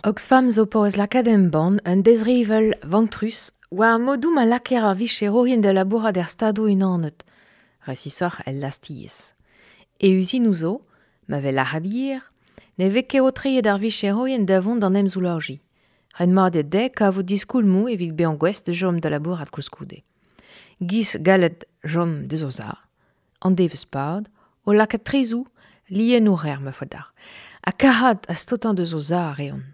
Oxfam zo paouez lakaat embann un dezrevell vantrus war modoù ma lakaer ar vicherourien da labourat er Stadoù-Unanet, resisoc'h el lastez. E uzinoù zo, ma vez lâret yer, ne vez ket aotreet ar vicherourien da vont d'an emsoulajiñ. Ret mat eo dezhe kavout diskoulmoù evit bezañ gouest da chom da labourat koulskoude. Giz gallet chom deus o za, an devezh-pad, o lakaat trezoù, lienoù rer ma faot deoc'h. Ha kac'hat ha staotañ deus o za a reont.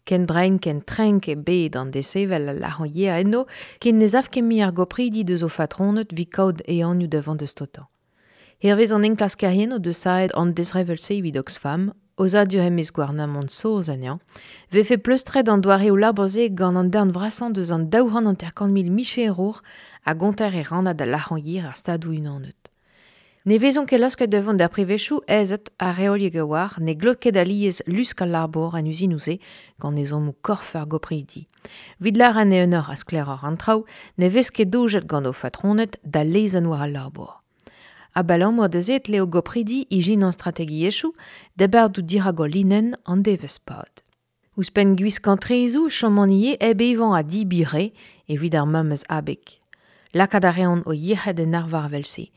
Ken brein ken trenk eo bet an desevel al lârañ yer enno ken ne sav ket mui ar gopridi deus o fatroned evit kaout ehanioù da vont da staotañ. Hervez an enklaskerien o deus savet an dezrevell-se evit Oxfam, aozadur e-maez gouarnamant saoz anezhañ, 'vefe pleustret an doareoù labour-se gant an darn vrasañ deus an 250 mil micherour a gonter e rannad al lârañ yer ar Stadoù-Unanet. Ne vezont ket laosket da vont d'ar privezioù aezet ha reoliek a-walc'h, ne glot ket alies lusk al labour en uzinoù-se gant ezhommoù korf ar gopridi. Evit lâret eeunoc'h ha sklaeroc'h an traoù, ne vez ket doujet gant o fatroned da lezenn war al labour. Abalamour da se e tle o gopridi ijinañ strategiezhioù da bardout dirak o linenn an devezh-pad. Ouzhpenn gwiskañ trezoù e chomont ivez hep evañ ha debriñ re evit ar memes abeg. Lakaat a reont o yec'hed en arvar evel-se.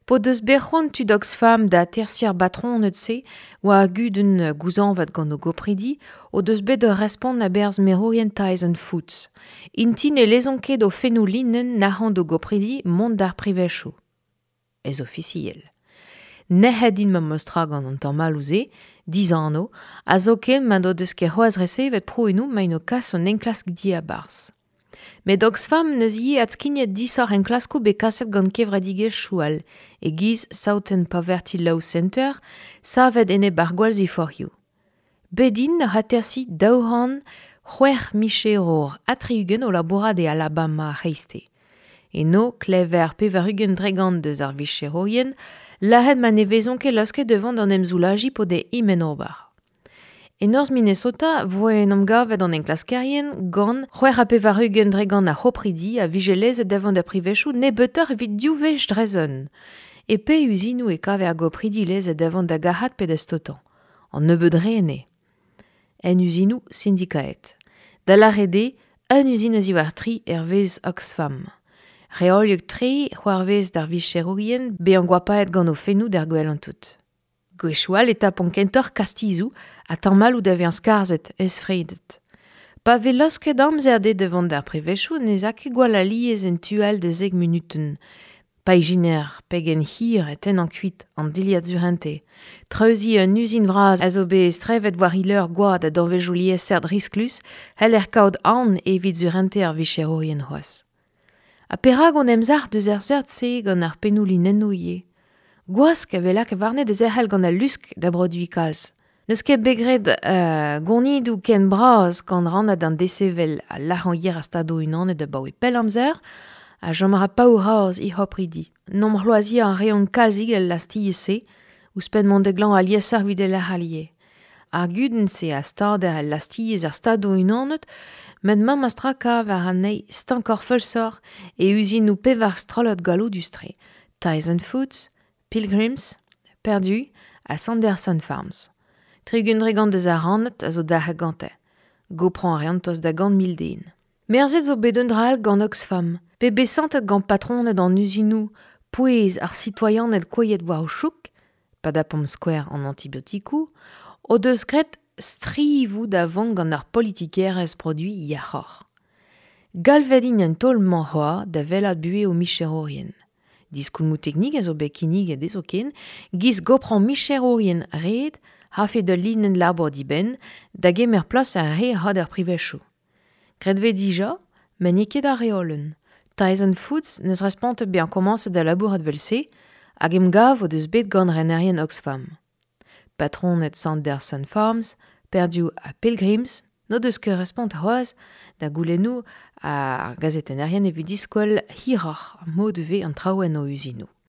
P'o deus bet c'hoant tud Oxfam da atersiñ ar batroned-se war ar gudenn gouzañvat gant o gopridi o deus bet ur respont a-berzh merourien Tyson Foods. Int-i ne lezont ket o fennoù linenn nac'hañ d'o gopridi mont d'ar privezioù. Ez ofisiel. Nec'het int memestra gant an tamalloù-se, dizanv, ha zoken ma n'o deus ket c'hoazh resevet prouennoù 'maint o kas un enklask diabarzh. Met Oxfam 'neus ivez adskignet disoc'h enklaskoù bet kaset gant kevredigezhioù all, e-giz Southern Poverty Law Center, savet enep ar gwallziforc'hioù. Bet int oc'h atersiñ 206 micherour ha 60 o labourat e Alabama ar c'hreisteiz. Eno klever 80% deus ar vicherourien lâret ma ne vezont ket laosket da vont d'an emsoulajiñ p'o dez int ober. E norzh Minnesota 'voe en em gavet an enklaskerien gant 86% a c'hopridi a vije lezet da vont da privezioù nebeutoc'h evit div wech dre zun. E pe uzinoù e kaver ar gopridi lezet da vont da gac'hat pe da staotañ. An nebeud re enne. En uzinoù sindikaet. Da lâret eo, un uzin a-ziwar tri hervez Oxfam. Reoliek-tre c'hoarvez d'ar vicherourien bezañ goapaet gant o fennoù d'ar gwellañ tout. Gwechoù all e tapont kentoc'h kastizoù ha tamalloù da vezañ skarzhet, ezfredet. Pa vez laosket amzer dezhe da vont d'ar privezioù ne'z a ket gwall alies en tu all da zek munutenn. Pa ijiner pegen hir e tennañ kuit an dilhad surentez. Treuziñ un uzin vras a zo bet strevet war he leur gwad ha danvezioù liesseurt risklus c'heller kaout aon evit surentez ar vicherourien c'hoazh. Ha perak on emzalc'h deus ar seurt-se gant ar pennoù linennoù ivez? Gwask a vez lakaet warne da zerc'hel gant al lusk da broduiñ kalz. N'eus ket bet graet gonidoù ken bras gant rannad an desevel ha lârañ yer ar Stadoù-Unanet abaoe pell amzer ha chom a ra paour-razh he c'hopridi. N'omp c'hloaziañ a reont kalzik el lastez-se, ouzhpenn mont da glañv aliesoc'h evit e lec'h all ivez. Ar gudenn-se a stader el lastez ar Stadoù-Unanet met memes tra kaver anezhi stankoc'h feulsoc'h e uzinoù pevar strollad galloudus-tre, Tyson Foods, Pilgrims, Perdue ha Sanderson Farms. 60% deus ar rannad a zo dalc'het gante. Goprañ a reont tost da 100 mil den. Merzet zo bet un dra all gant Oxfam, pe bet santet gant patroned an uzinoù pouez ar sitoaianed kouezhet war o chouk, pa dapomp skouer an antibiotikoù, o deus graet strivoù da vont gant ar politikerezh produiñ yac'hoc'h. Galvet int an taol-mañ c'hoazh da wellaat buhez o micherourien. Diskoulmoù teknik a zo bet kinniget dezho ken, giz goprañ micherourien ret hafe d'ul linenn labour dibenn da gemer plas ar re a d'ar privezioù. Graet 'vez dija, met n'eo ket ar reolenn. Tyson Foods 'neus respontet bezañ komañset da labourat 'vel-se hag emgav o deus bet gant renerien Oxfam. Patroned Sanderson Farms, Perdue ha Pilgrims n'o deus ket respont c'hoazh da goulennoù ar gazetennerien evit diskwel hiroc'h mod 'vez an traoù en o uzinoù.